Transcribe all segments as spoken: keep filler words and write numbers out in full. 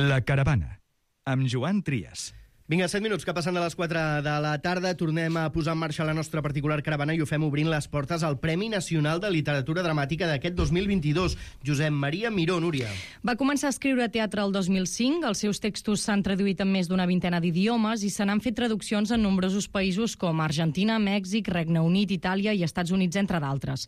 La Caravana, amb Joan Trias. Vinga, set minuts que passen de les quatre de la tarda. Tornem a posar en marxa la nostra particular caravana i ho fem obrint les portes al Premi Nacional de Literatura Dramàtica d'aquest dos mil vint-i-dos. Josep Maria Miró, Núria. Va començar a escriure teatre el dos mil cinc, els seus textos s'han traduït en més d'una vintena d'idiomes i se n'han fet traduccions en nombrosos països com Argentina, Mèxic, Regne Unit, Itàlia i Estats Units, entre d'altres.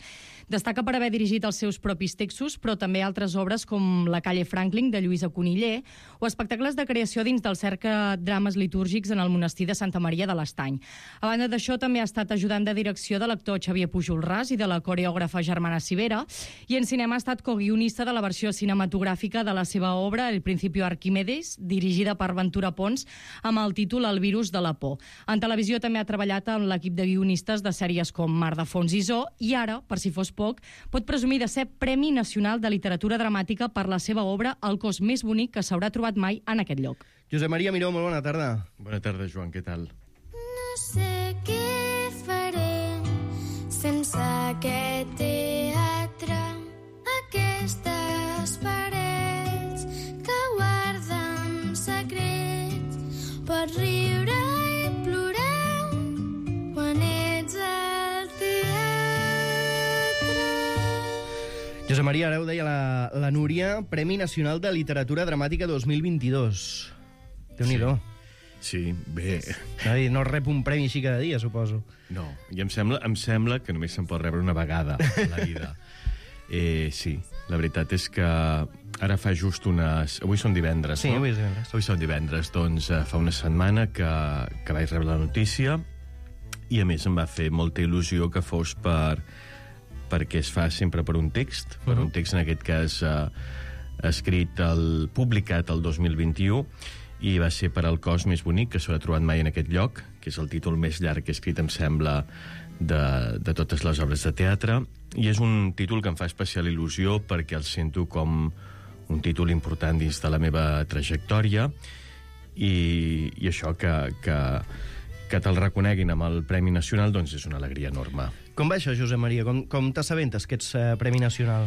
Destaca per haver dirigit els seus propis textos, però també altres obres com La calle Franklin, de Lluïsa Coniller, o espectacles de creació dins del Cercle Drames Litúrgics en el monestir de Santa Maria de l'Estany. A banda d'això, també ha estat ajudant de direcció de l'actor Xavier Pujol Ras i de la coreògrafa Germana Civera, i en cinema ha estat coguionista de la versió cinematogràfica de la seva obra El Principio Arquímedes, dirigida per Ventura Pons, amb el títol El virus de la por. En televisió també ha treballat amb l'equip de guionistes de sèries com Mar de Fons i Zoo, i ara, per si fos poc, pot presumir de ser Premi Nacional de Literatura Dramàtica per la seva obra El cos més bonic que s'haurà trobat mai en aquest lloc. Josep Maria Miró, molt bona tarda. Bona tarda, Joan, què tal? No sé què faré sense aquest teatre, aquestes parets que guarden secrets. Pots riure i plorar quan ets al teatre. Josep Maria, ara ho deia la, la Núria, Premi Nacional de Literatura Dramàtica dos mil vint-i-dos. Déu-n'hi-do. Sí, bé... No rep un premi així cada dia, suposo. No, i em sembla, em sembla que només se'n pot rebre una vegada a la vida. Eh, sí, la veritat és que ara fa just unes... Avui són divendres, sí, no? Sí, avui és divendres. Avui són divendres, doncs eh, fa una setmana que, que vaig rebre la notícia i a més em va fer molta il·lusió que fos per... perquè es fa sempre per un text, per uh-huh. un text en aquest cas eh, escrit, el, publicat el dos mil vint-i-u, i va ser per El cos més bonic que s'haurà trobat mai en aquest lloc, que és el títol més llarg que he escrit, em sembla, de, de totes les obres de teatre, i és un títol que em fa especial il·lusió perquè el sento com un títol important dins de la meva trajectòria, i, i això que, que, que te'l reconeguin amb el Premi Nacional, doncs és una alegria enorme. Com va això, Josep Maria? Com, com t'assabentes que ets eh, Premi Nacional?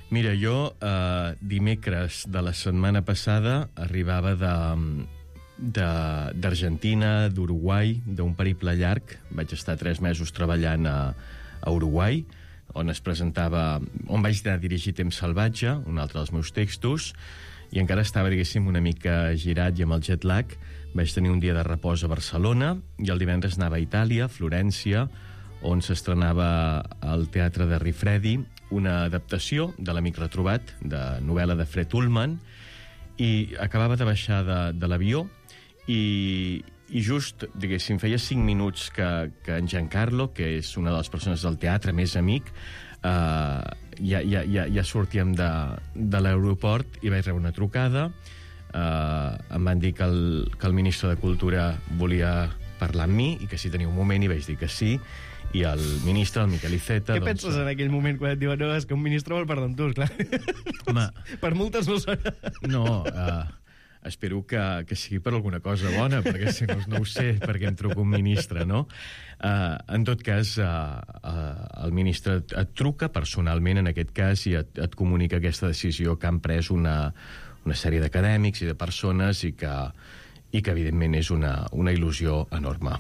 Mira, jo eh, dimecres de la setmana passada arribava de, de, d'Argentina, d'Uruguai, d'un periple llarg. Vaig estar tres mesos treballant a, a Uruguai, on es presentava, on vaig anar a dirigir Temps salvatge, un altre dels meus textos, i encara estava, diguéssim, una mica girat i amb el jet lag. Vaig tenir un dia de repòs a Barcelona i el divendres anava a Itàlia, a Florència, on s'estrenava al Teatre de Rifredi una adaptació de l'Amic retrobat, de novel·la de Fred Ullman, i acabava de baixar de, de l'avió i, i just, diguéssim, feia cinc minuts que, que en Giancarlo, que és una de les persones del teatre més amic, eh, ja, ja, ja, ja sortíem de, de l'aeroport i vaig rebre una trucada. Eh, em van dir que el, que el ministre de Cultura volia parlar amb mi i que si tenia un moment, i vaig dir que sí, i el ministre, el Miquel Iceta... Què doncs, penses en aquell moment quan et diuen no, és que un ministre vol parlar amb tu, clar? Home, per multes no serà. No, uh, espero que, que sigui per alguna cosa bona, perquè si no, no ho sé, perquè em truca un ministre, no? Uh, en tot cas, uh, uh, el ministre et, et truca personalment, en aquest cas, i et, et comunica aquesta decisió que han pres una, una sèrie d'acadèmics i de persones i que, i que evidentment, és una, una il·lusió enorme.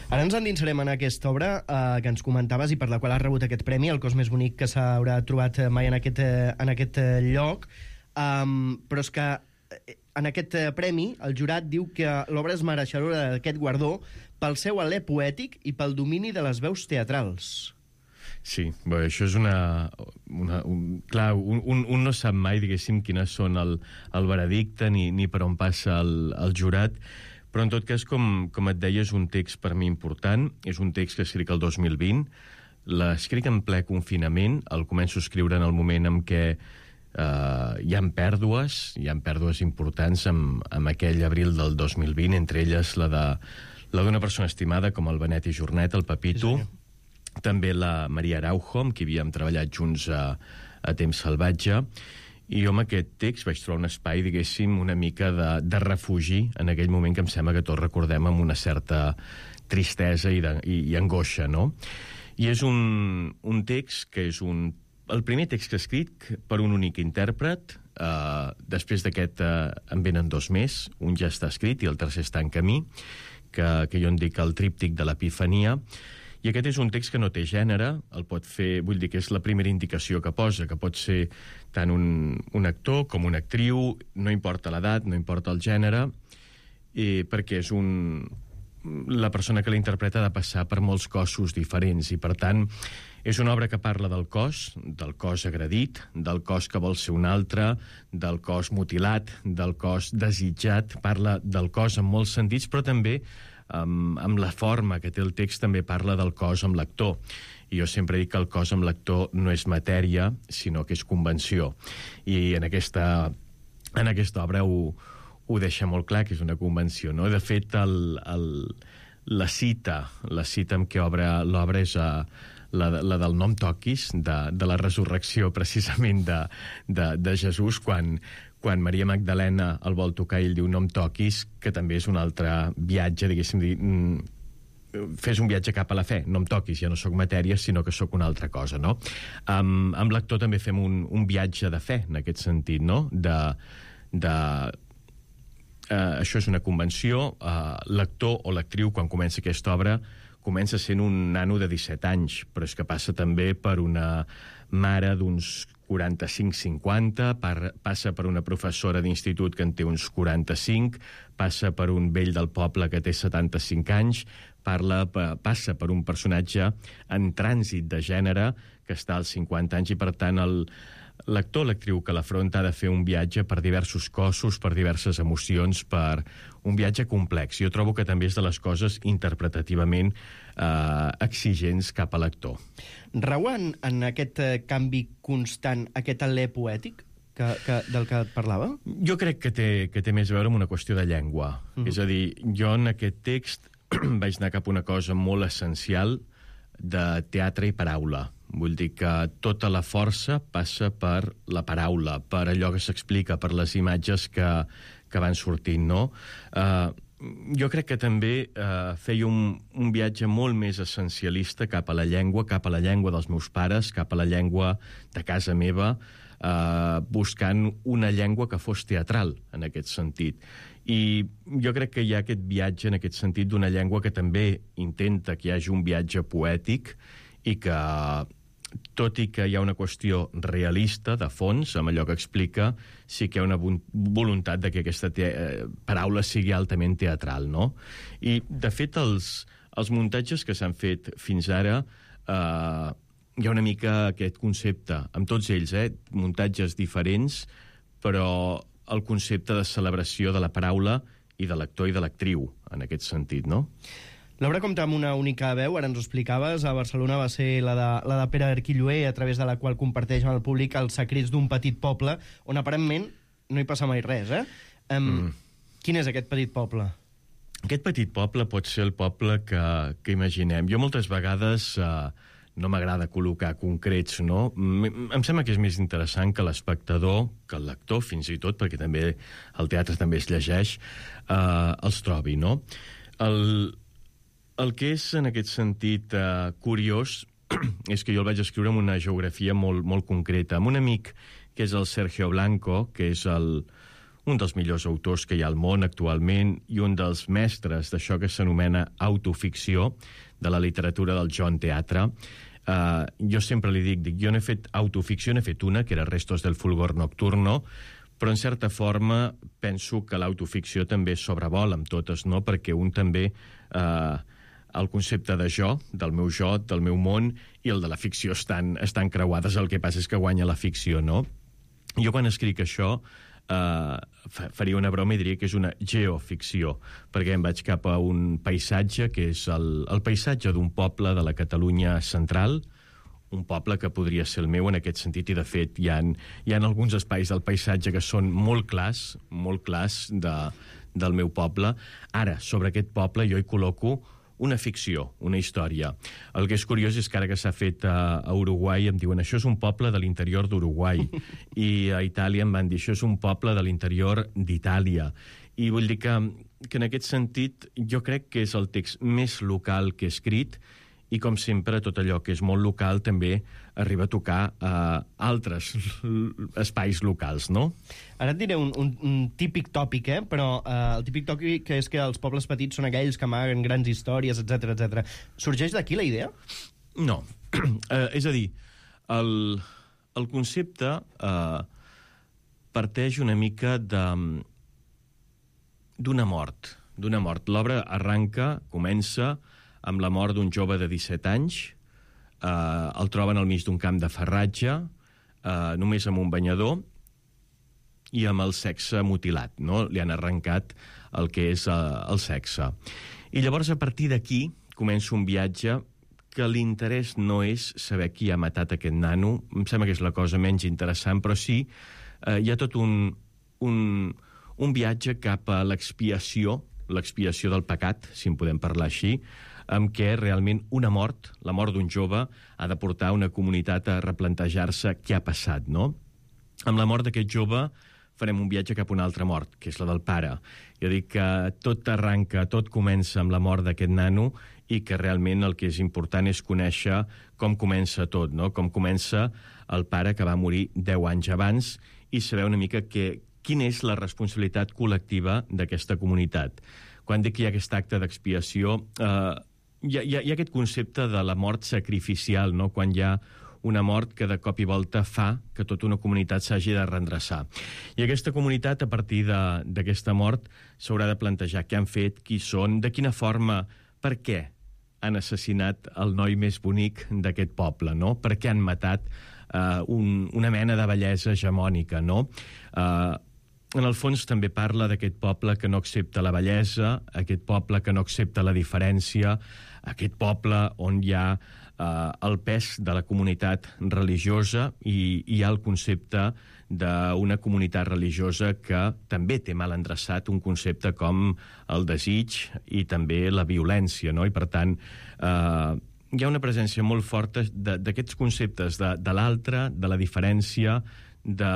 Ara ens endinsarem en aquesta obra eh, que ens comentaves i per la qual has rebut aquest premi, El cos més bonic que s'haurà trobat mai en aquest, eh, en aquest eh, lloc. Um, però és que eh, en aquest eh, premi el jurat diu que l'obra és mereixedora d'aquest guardó pel seu alè poètic i pel domini de les veus teatrals. Sí, bé, això és una... una un, clar, un, un, un no sap mai, diguéssim, quines són el, el veredicte ni, ni per on passa el, el jurat, però en tot cas, com, com et deia, és un text per mi important, és un text que escric el dos mil vint, l'escric en ple confinament, el començo a escriure en el moment en què eh, hi ha pèrdues, hi ha pèrdues importants amb, amb aquell abril del dos mil vint, entre elles la de la d'una persona estimada com el Benet i Jornet, el Pepito, sí, també la Maria Araujo, amb qui havíem treballat junts a, a Temps salvatge, i jo amb aquest text vaig trobar un espai, diguéssim, una mica de, de refugi en aquell moment que em sembla que tots recordem amb una certa tristesa i, de, i, i angoixa, no? I és un, un text que és un, el primer text que he escrit per un únic intèrpret, Uh, després d'aquest uh, en venen dos més, un ja està escrit i el tercer està en camí, que, que jo en dic el tríptic de l'Epifania, i aquest és un text que no té gènere, el pot fer, vull dir que és la primera indicació que posa, que pot ser tant un, un actor com una actriu, no importa l'edat, no importa el gènere, i perquè és un... la persona que l'interpreta ha de passar per molts cossos diferents, i per tant és una obra que parla del cos, del cos agredit, del cos que vol ser un altre, del cos mutilat, del cos desitjat, parla del cos en molts sentits, però també amb, amb la forma que té el text també parla del cos amb l'actor. I jo sempre dic que el cos amb l'actor no és matèria, sinó que és convenció. I en aquesta, en aquesta obra ho, ho deixa molt clar, que és una convenció, no? De fet, el, el, la cita, la cita amb què obre l'obra és a, la, la del nom toquis, de, de la resurrecció precisament de, de, de Jesús, quan, quan Maria Magdalena el vol tocar i ell diu nom toquis, que també és un altre viatge, diguéssim, dir, fes un viatge cap a la fe, no em toquis, ja no sóc matèria, sinó que sóc una altra cosa, no? Amb, amb l'actor també fem un, un viatge de fe, en aquest sentit, no? De... de Uh, això és una convenció. Uh, l'actor o l'actriu, quan comença aquesta obra, comença sent un nano de disset anys, però és que passa també per una mare d'uns quaranta-cinc cinquanta, passa per una professora d'institut que en té uns quaranta-cinc, passa per un vell del poble que té setanta-cinc anys, parla, passa per un personatge en trànsit de gènere que està als cinquanta anys, i per tant el l'actor o l'actriu que l'afronta ha de fer un viatge per diversos cossos, per diverses emocions, per un viatge complex. Jo trobo que també és de les coses interpretativament eh, exigents cap a l'actor. Rau en, en aquest eh, canvi constant, aquest alè poètic que, que, del que et parlava? Jo crec que té, que té més a veure amb una qüestió de llengua. Mm. És a dir, jo en aquest text vaig anar cap a una cosa molt essencial de teatre i paraula. Vull dir que tota la força passa per la paraula, per allò que s'explica, per les imatges que, que van sortint, no? Uh, jo crec que també uh, feia un, un viatge molt més essencialista cap a la llengua, cap a la llengua dels meus pares, cap a la llengua de casa meva, uh, buscant una llengua que fos teatral, en aquest sentit. I jo crec que hi ha aquest viatge, en aquest sentit, d'una llengua que també intenta que hi hagi un viatge poètic i que, tot i que hi ha una qüestió realista, de fons, amb allò que explica, sí que hi ha una voluntat de que aquesta te paraula sigui altament teatral, no? I, de fet, els, els muntatges que s'han fet fins ara, eh, hi ha una mica aquest concepte, amb tots ells, eh, muntatges diferents, però el concepte de celebració de la paraula i de l'actor i de l'actriu, en aquest sentit, no? L'obra compta amb una única veu, ara ens ho explicaves, a Barcelona va ser la de, la de Pere Arquilloé, a través de la qual comparteix amb el públic els secrets d'un petit poble, on aparentment no hi passa mai res, eh? Um, mm. Quin és aquest petit poble? Aquest petit poble pot ser el poble que, que imaginem. Jo moltes vegades eh, no m'agrada col·locar concrets, no? Em sembla que és més interessant que l'espectador, que el lector, fins i tot, perquè també el teatre també es llegeix, eh, els trobi, no? El... El que és, en aquest sentit, eh, curiós és que jo el vaig escriure amb una geografia molt, molt concreta, amb un amic que és el Sergio Blanco, que és el, un dels millors autors que hi ha al món actualment i un dels mestres d'això que s'anomena autoficció, de la literatura del Joan Teatre. Eh, jo sempre li dic, dic, jo no he fet autoficció, n'he fet una, que era Restos del fulgor nocturno, però en certa forma penso que l'autoficció també sobrevola amb totes, no? Perquè un també... Eh, el concepte de jo, del meu jo, del meu món, i el de la ficció estan, estan creuades, el que passa és que guanya la ficció, no? Jo quan escric això eh, faria una broma i diria que és una geoficció, perquè em vaig cap a un paisatge que és el, el paisatge d'un poble de la Catalunya central, un poble que podria ser el meu en aquest sentit, i de fet hi ha, hi ha alguns espais del paisatge que són molt clars, molt clars de, del meu poble. Ara, sobre aquest poble jo hi col·loco una ficció, una història. El que és curiós és que ara que s'ha fet a, a Uruguai em diuen això és un poble de l'interior d'Uruguai, i a Itàlia em van dir això és un poble de l'interior d'Itàlia. I vull dir que, que en aquest sentit jo crec que és el text més local que he escrit i, com sempre, tot allò que és molt local també arriba a tocar uh, altres espais locals, no? Ara et diré un, un, un típic tòpic, eh? Però uh, el típic tòpic és que els pobles petits són aquells que amaguen grans històries, etcètera, etcètera. Sorgeix d'aquí la idea? No. uh, és a dir, el, el concepte uh, parteix una mica de d'una mort, d'una mort. L'obra arranca, comença amb la mort d'un jove de disset anys, eh, el troben al mig d'un camp de ferratge, eh, només amb un banyador i amb el sexe mutilat, no? Li han arrencat el que és eh, el sexe. I llavors, a partir d'aquí, comença un viatge que l'interès no és saber qui ha matat aquest nano, em sembla que és la cosa menys interessant, però sí, eh, hi ha tot un... un un viatge cap a l'expiació, l'expiació del pecat, si en podem parlar així, amb què realment una mort, la mort d'un jove, ha de portar una comunitat a replantejar-se què ha passat, no? Amb la mort d'aquest jove farem un viatge cap a una altra mort, que és la del pare. Jo dic que tot arranca, tot comença amb la mort d'aquest nano i que realment el que és important és conèixer com comença tot, no? Com comença el pare que va morir deu anys abans i saber una mica que quina és la responsabilitat col·lectiva d'aquesta comunitat. Quan dic que hi ha aquest acte d'expiació, eh, hi, ha, hi ha aquest concepte de la mort sacrificial, no? Quan hi ha una mort que de cop i volta fa que tota una comunitat s'hagi de reendreçar. I aquesta comunitat, a partir d'aquesta mort, s'haurà de plantejar què han fet, qui són, de quina forma, per què han assassinat el noi més bonic d'aquest poble, no? Per què han matat eh, un, una mena de bellesa hegemònica, no? Eh, En el fons també parla d'aquest poble que no accepta la bellesa, aquest poble que no accepta la diferència, aquest poble on hi ha eh, el pes de la comunitat religiosa i hi ha el concepte d'una comunitat religiosa que també té mal endreçat un concepte com el desig i també la violència, no? I per tant, eh, hi ha una presència molt forta d'aquests conceptes de, de l'altre, de la diferència, de...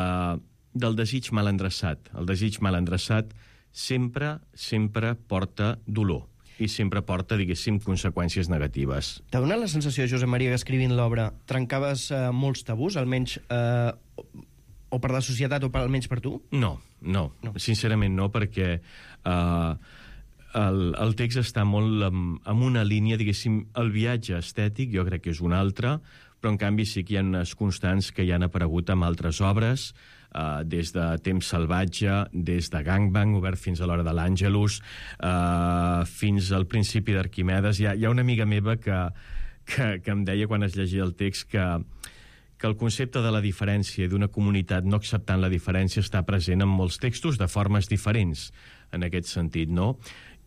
del desig mal endreçat. El desig mal endreçat sempre, sempre porta dolor i sempre porta, diguéssim, conseqüències negatives. T'ha donat la sensació, Josep Maria, que escrivint l'obra trencaves eh, molts tabús, almenys eh, o per la societat o per, almenys per tu? No, no, no. Sincerament no, perquè eh, el, el text està molt amb, amb una línia, diguéssim, el viatge estètic jo crec que és una altra, però en canvi sí que hi ha unes constants que ja han aparegut amb altres obres, Uh, des de Temps salvatge, des de Gangbang, obert fins a l'hora de l'Àngelus, uh, fins al principi d'Arquimedes. Hi ha, hi ha una amiga meva que, que, que em deia quan es llegia el text que, que el concepte de la diferència i d'una comunitat no acceptant la diferència està present en molts textos de formes diferents, en aquest sentit, no?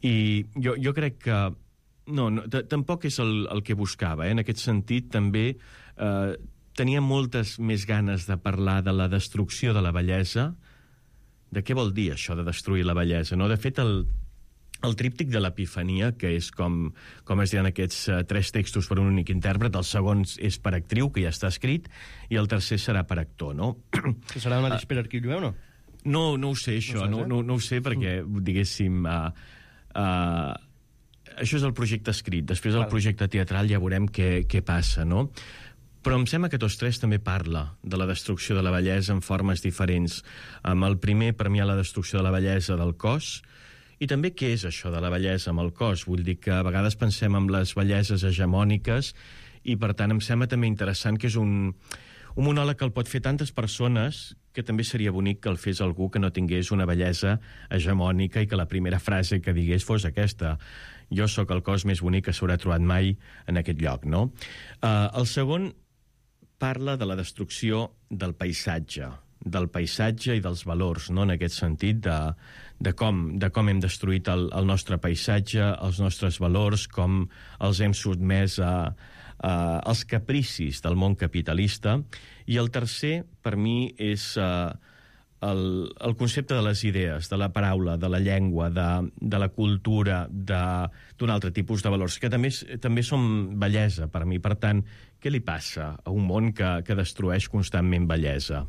I jo, jo crec que no, no tampoc és el, el que buscava, eh? En aquest sentit també... Uh, tenia moltes més ganes de parlar de la destrucció de la bellesa. De què vol dir això de destruir la bellesa, no? De fet, el, el tríptic de l'Epifania, que és com, com es diuen aquests uh, tres textos per un únic intèrpret, el segon és per actriu, que ja està escrit, i el tercer serà per actor, no? Que serà el mateix uh, per arquiu, o no? No, no ho sé, això, no, no, no ho sé, perquè, diguéssim... Uh, uh, això és el projecte escrit. Després, el projecte teatral, ja veurem què, què passa, no? Però em sembla que tots tres també parla de la destrucció de la bellesa en formes diferents. Amb el primer, per mi, hi ha la destrucció de la bellesa del cos, i també què és això de la bellesa amb el cos. Vull dir que a vegades pensem en les belleses hegemòniques i, per tant, em sembla també interessant que és un, un monòleg que el pot fer tantes persones que també seria bonic que el fes algú que no tingués una bellesa hegemònica i que la primera frase que digués fos aquesta: jo sóc el cos més bonic que s'haurà trobat mai en aquest lloc, no? Uh, el segon parla de la destrucció del paisatge, del paisatge i dels valors, no? En aquest sentit, de, de, com, de com hem destruït el, el nostre paisatge, els nostres valors, com els hem sotmès a, a, als capricis del món capitalista. I el tercer, per mi, és uh, el, el concepte de les idees, de la paraula, de la llengua, de, de la cultura, d'un altre tipus de valors, que també, també són bellesa per mi. Per tant, què li passa a un món que, que destrueix constantment bellesa?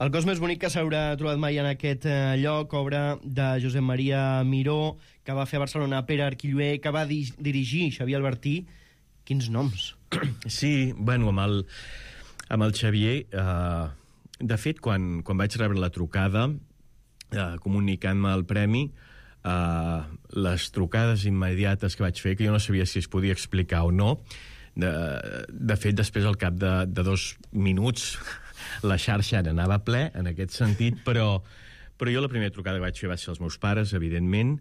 El cos més bonic que s'haurà trobat mai en aquest eh, lloc, obra de Josep Maria Miró, que va fer a Barcelona Pere Arquillué, que va di dirigir Xavier Albertí, Quins noms. Sí, bueno, amb el, amb el Xavier... Eh, de fet, quan, quan vaig rebre la trucada, eh, comunicant-me el premi, eh, les trucades immediates que vaig fer, que jo no sabia si es podia explicar o no, de, de fet, després, al cap de, de dos minuts, la xarxa anava ple, en aquest sentit, però, però jo la primera trucada que vaig fer va ser als meus pares, evidentment,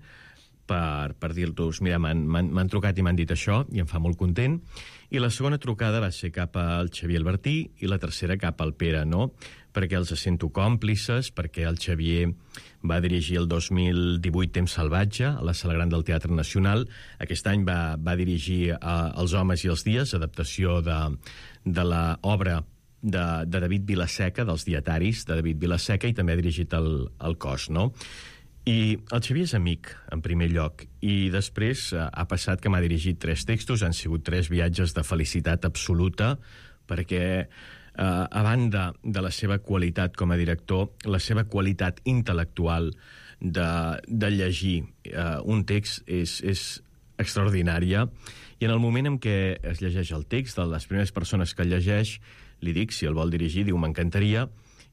per, per dir-los, mira, m'han trucat i m'han dit això, i em fa molt content, i la segona trucada va ser cap al Xavier Albertí i la tercera cap al Pere, no? Perquè els sento còmplices, perquè el Xavier va dirigir el dos mil divuit Temps Salvatge a la Sala Gran del Teatre Nacional. Aquest any va, va dirigir uh, Els homes i els dies, adaptació de, de l'obra de, de David Vilaseca, dels dietaris de David Vilaseca, i també ha dirigit el, el Cos, no? I el Xavier és amic, en primer lloc, i després uh, ha passat que m'ha dirigit tres textos, han sigut tres viatges de felicitat absoluta, perquè... Uh, a banda de la seva qualitat com a director, la seva qualitat intel·lectual de, de llegir uh, un text és, és extraordinària, i en el moment en què es llegeix el text, de les primeres persones que el llegeix, li dic, si el vol dirigir, diu, m'encantaria,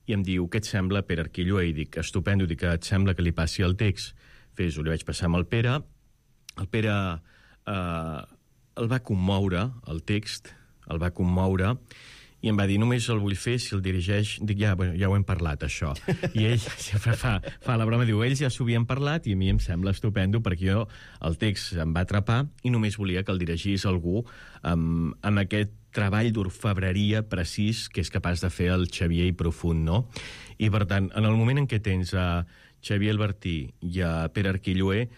i em diu, què et sembla, Pere Arquilloé? I dic, estupendo, dic, et sembla que li passi el text? Fes-ho, li vaig passar amb el Pere, el Pere uh, el va commoure, el text, el va commoure, i em va dir, només el vull fer si el dirigeix... Dic, ja, bueno, ja ho hem parlat, això. I ell sempre fa, fa la broma, diu, ells ja s'ho havien parlat i a mi em sembla estupendo perquè jo el text em va atrapar i només volia que el dirigís algú amb, amb aquest treball d'orfebreria precís que és capaç de fer el Xavier i profund, no? I, per tant, en el moment en què tens a Xavier Albertí i a Pere Arquilloé,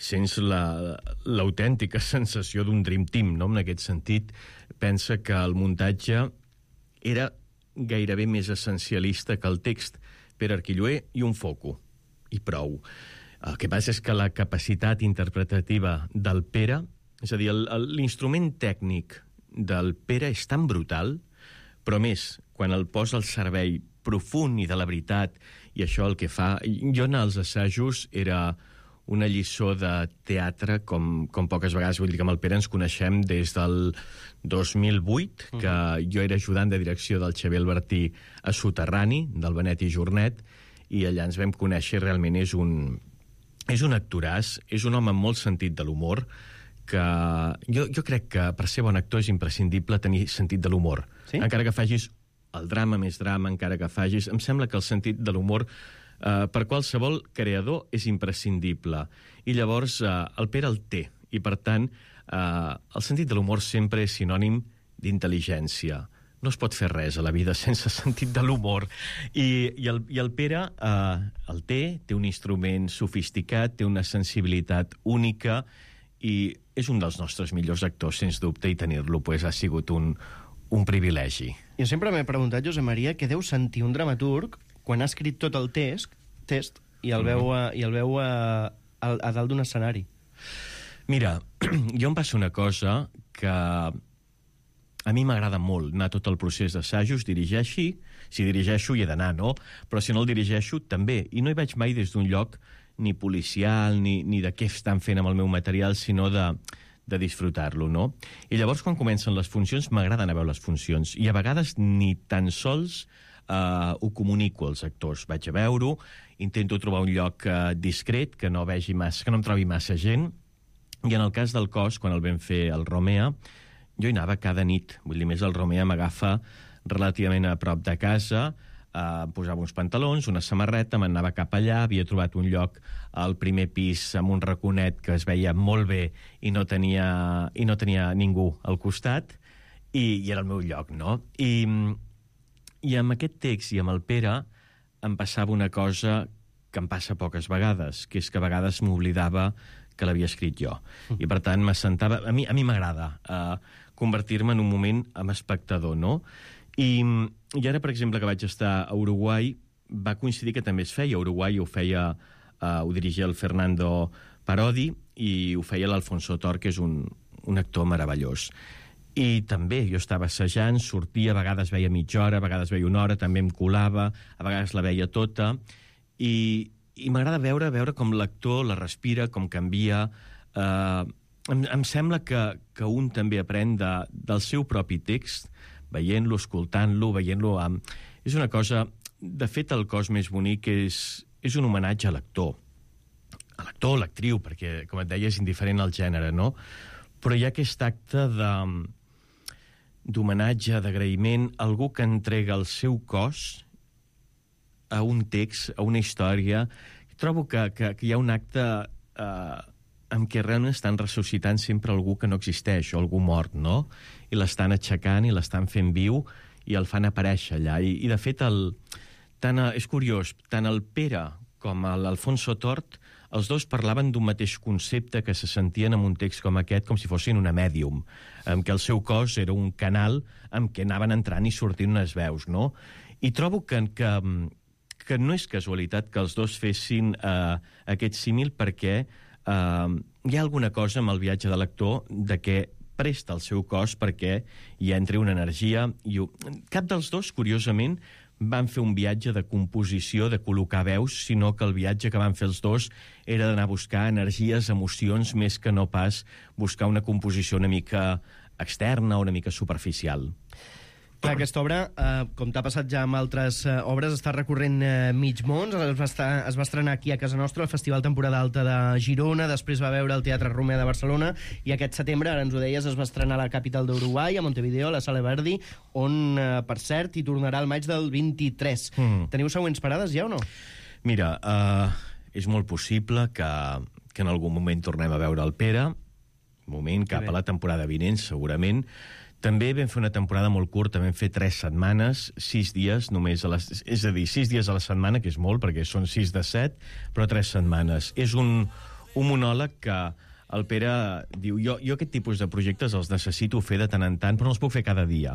sents l'autèntica la, sensació d'un dream team, no? En aquest sentit, pensa que el muntatge era gairebé més essencialista que el text. Pere Arquilloé i un foco, i prou. El que passa és que la capacitat interpretativa del Pere, és a dir, l'instrument tècnic del Pere és tan brutal, però més, quan el posa al servei profund i de la veritat, i això el que fa... Jo en els assajos era una lliçó de teatre com, com poques vegades. Vull dir que amb el Pere ens coneixem des del dos mil vuit, que uh-huh. jo era ajudant de direcció del Xavier Albertí a Soterrani, del Benet i Jornet, i allà ens vam conèixer. Realment és un, és un actoràs, és un home amb molt sentit de l'humor, que jo, jo crec que per ser bon actor és imprescindible tenir sentit de l'humor. Sí? Encara que facis el drama més drama, encara que facis... Em sembla que el sentit de l'humor Uh, per qualsevol creador és imprescindible. I llavors uh, el Pere el té. I, per tant, uh, el sentit de l'humor sempre és sinònim d'intel·ligència. No es pot fer res a la vida sense sentit de l'humor. I, i, el, i el Pere uh, el té, té un instrument sofisticat, té una sensibilitat única i és un dels nostres millors actors, sens dubte, i tenir-lo pues, ha sigut un, un privilegi. Jo sempre m'he preguntat, Josep Maria, què deu sentir un dramaturg quan ha escrit tot el test, test i el veu, a, i el veu a, a, a dalt d'un escenari. Mira, jo em passa una cosa que a mi m'agrada molt anar tot el procés d'assajos, dirigeixi, si dirigeixo hi he d'anar, no? Però si no el dirigeixo, també. I no hi vaig mai des d'un lloc ni policial, ni, ni de què estan fent amb el meu material, sinó de, de disfrutar-lo, no? I llavors, quan comencen les funcions, m'agrada anar a veure les funcions. I a vegades ni tan sols Uh, ho comunico als actors. Vaig a veure-ho, intento trobar un lloc uh, discret, que no vegi massa, que no em trobi massa gent, i en el cas del Cos, quan el vam fer al Romea, jo hi anava cada nit. Vull dir, més el Romea m'agafa relativament a prop de casa, uh, posava uns pantalons, una samarreta, m'anava cap allà, havia trobat un lloc al primer pis amb un raconet que es veia molt bé i no tenia, i no tenia ningú al costat, i, i era el meu lloc, no? I... I amb aquest text i amb el Pere em passava una cosa que em passa poques vegades, que és que a vegades m'oblidava que l'havia escrit jo. I, per tant, m'assentava... A mi a mi m'agrada uh, convertir-me en un moment amb espectador, no? I, I ara, per exemple, que vaig estar a Uruguai, va coincidir que també es feia. A Uruguai ho feia... Uh, ho dirigia el Fernando Parodi i ho feia l'Alfonso Tor, que és un, un actor meravellós. I també jo estava assajant, sortia, a vegades veia mitja hora, a vegades veia una hora, també em colava, a vegades la veia tota, i, i m'agrada veure veure com l'actor la respira, com canvia. Eh, em, em sembla que, que un també aprèn de, del seu propi text, veient-lo, escoltant-lo, veient-lo... Amb... És una cosa... De fet, el cos més bonic és, és un homenatge a l'actor. A l'actor o l'actriu, perquè, com et deia, és indiferent al gènere, no? Però hi ha aquest acte de, d'homenatge, d'agraïment, algú que entrega el seu cos a un text, a una història. Trobo que, que, que hi ha un acte eh, en què realment estan ressuscitant sempre algú que no existeix, o algú mort, no? I l'estan aixecant i l'estan fent viu i el fan aparèixer allà. I, i de fet, el, tant, és curiós, tant el Pere com l'Alfonso Tort, els dos parlaven d'un mateix concepte que se sentien en un text com aquest, com si fossin una mèdium, en què el seu cos era un canal en què anaven entrant i sortint unes veus, no? I trobo que, que, que no és casualitat que els dos fessin eh, aquest símil, perquè eh, hi ha alguna cosa amb el viatge de l'actor de què presta el seu cos perquè hi entri una energia. I cap dels dos, curiosament, van fer un viatge de composició, de col·locar veus, sinó que el viatge que van fer els dos era d'anar a buscar energies, emocions, més que no pas buscar una composició una mica externa o una mica superficial. Clar, aquesta obra, eh, com t'ha passat ja amb altres eh, obres, està recorrent eh, mig món. Es va, estar, es va estrenar aquí a casa nostra, al Festival Temporada Alta de Girona, després va veure el Teatre Romea de Barcelona, i aquest setembre, ara ens ho deies, es va estrenar a la capital d'Uruguai, a Montevideo, a la Sala Verdi, on, eh, per cert, hi tornarà al maig del vint-i-tres. Mm. Teniu següents parades ja o no? Mira, uh, és molt possible que, que en algun moment tornem a veure el Pere, moment cap a la temporada vinent, segurament. També vam fer una temporada molt curta, vam fer tres setmanes, sis dies només, a les, és a dir, sis dies a la setmana, que és molt, perquè són sis de set, però tres setmanes. És un, un monòleg que el Pere diu, jo, jo aquest tipus de projectes els necessito fer de tant en tant, però no els puc fer cada dia.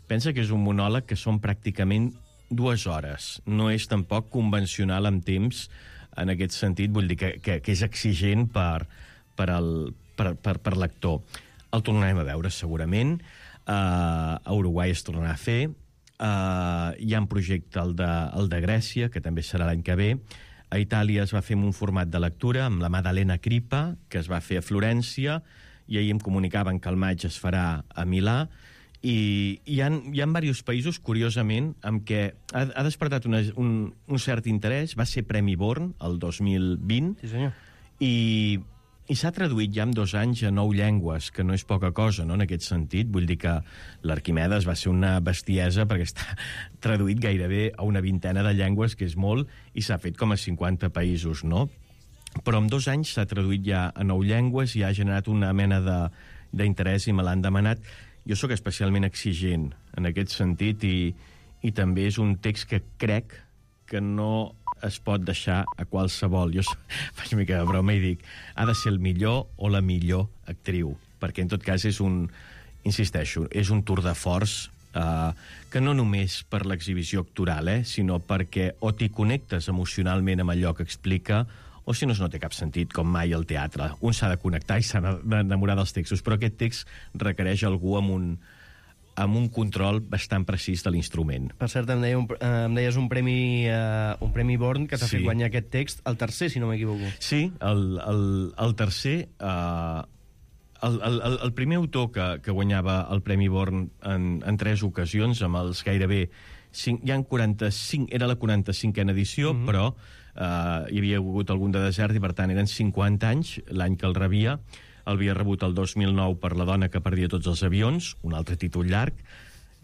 Pensa que és un monòleg que són pràcticament dues hores. No és tampoc convencional en temps, en aquest sentit, vull dir que, que, que és exigent per, per, el, per, per, per l'actor. El tornarem a veure, segurament. Uh, a Uruguai es tornarà a fer. Uh, hi ha un projecte, el de, el de Grècia, que també serà l'any que ve. A Itàlia es va fer en un format de lectura amb la Maddalena Crippa, que es va fer a Florència, i ahir em comunicaven que al maig es farà a Milà. I hi ha, hi ha diversos països, curiosament, amb què ha, ha despertat una, un, un cert interès. Va ser Premi Born, el dos mil vint, sí, senyor. i... I s'ha traduït ja en dos anys a nou llengües, que no és poca cosa, no?, en aquest sentit. Vull dir que l'Arquimedes va ser una bestiesa perquè està traduït gairebé a una vintena de llengües, que és molt, i s'ha fet com a cinquanta països, no? Però en dos anys s'ha traduït ja a nou llengües i ha generat una mena d'interès i me l'han demanat. Jo sóc especialment exigent en aquest sentit i, i també és un text que crec que no es pot deixar a qualsevol. Jo faig una mica de broma i dic, ha de ser el millor o la millor actriu, perquè en tot cas és un, insisteixo, és un tour de force eh, que no només per l'exhibició actoral, eh, sinó perquè o t'hi connectes emocionalment amb allò que explica, o si no, no té cap sentit, com mai el teatre. Un s'ha de connectar i s'ha d'enamorar dels textos, però aquest text requereix algú amb un amb un control bastant precís de l'instrument. Per cert, em, deia un, eh, em deies un premi, eh, un premi Born que t'ha Sí. fet guanyar aquest text, el tercer, si no m'equivoco. Sí, el, el, el tercer... Eh, el, el, el primer autor que, que guanyava el Premi Born en, en tres ocasions, amb els gairebé... Cinc, hi ha quaranta-cinc, era la quaranta-cinquena edició, mm-hmm. però eh, hi havia hagut algun de desert i, per tant, eren cinquanta anys l'any que el rebia. El havia rebut el dos mil nou per La dona que perdia tots els avions, un altre títol llarg,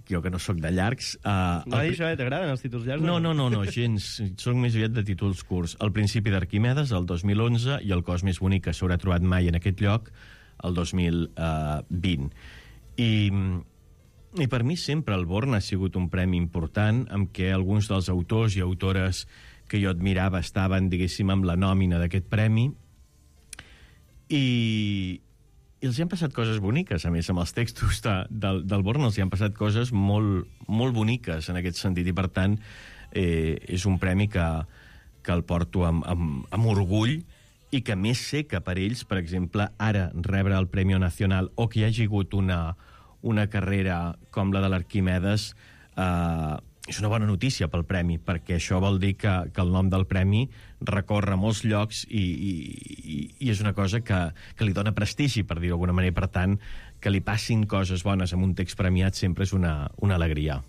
jo que no sóc de llargs. Uh, No, el... això, eh? T'agraden els títols llargs? No, no, no, no, gens. Soc més aviat de títols curts. El principi d'Arquimedes, el dos mil onze, i El cos més bonic que s'haurà trobat mai en aquest lloc, el dos mil vint. I, I per mi sempre el Born ha sigut un premi important, amb què alguns dels autors i autores que jo admirava estaven, diguéssim, amb la nòmina d'aquest premi. I, i els hi han passat coses boniques, a més, amb els textos de, del, del Born els hi han passat coses molt, molt boniques en aquest sentit, i per tant eh, és un premi que, que el porto amb, amb, amb orgull, i que més sé que per ells, per exemple, ara rebre el Premi Nacional o que hi hagi hagut una, una carrera com la de l'Arquimedes, eh, és una bona notícia pel premi, perquè això vol dir que, que el nom del premi recorre molts llocs i, i, i és una cosa que, que li dona prestigi, per dir-ho d'alguna manera. Per tant, que li passin coses bones amb un text premiat sempre és una, una alegria.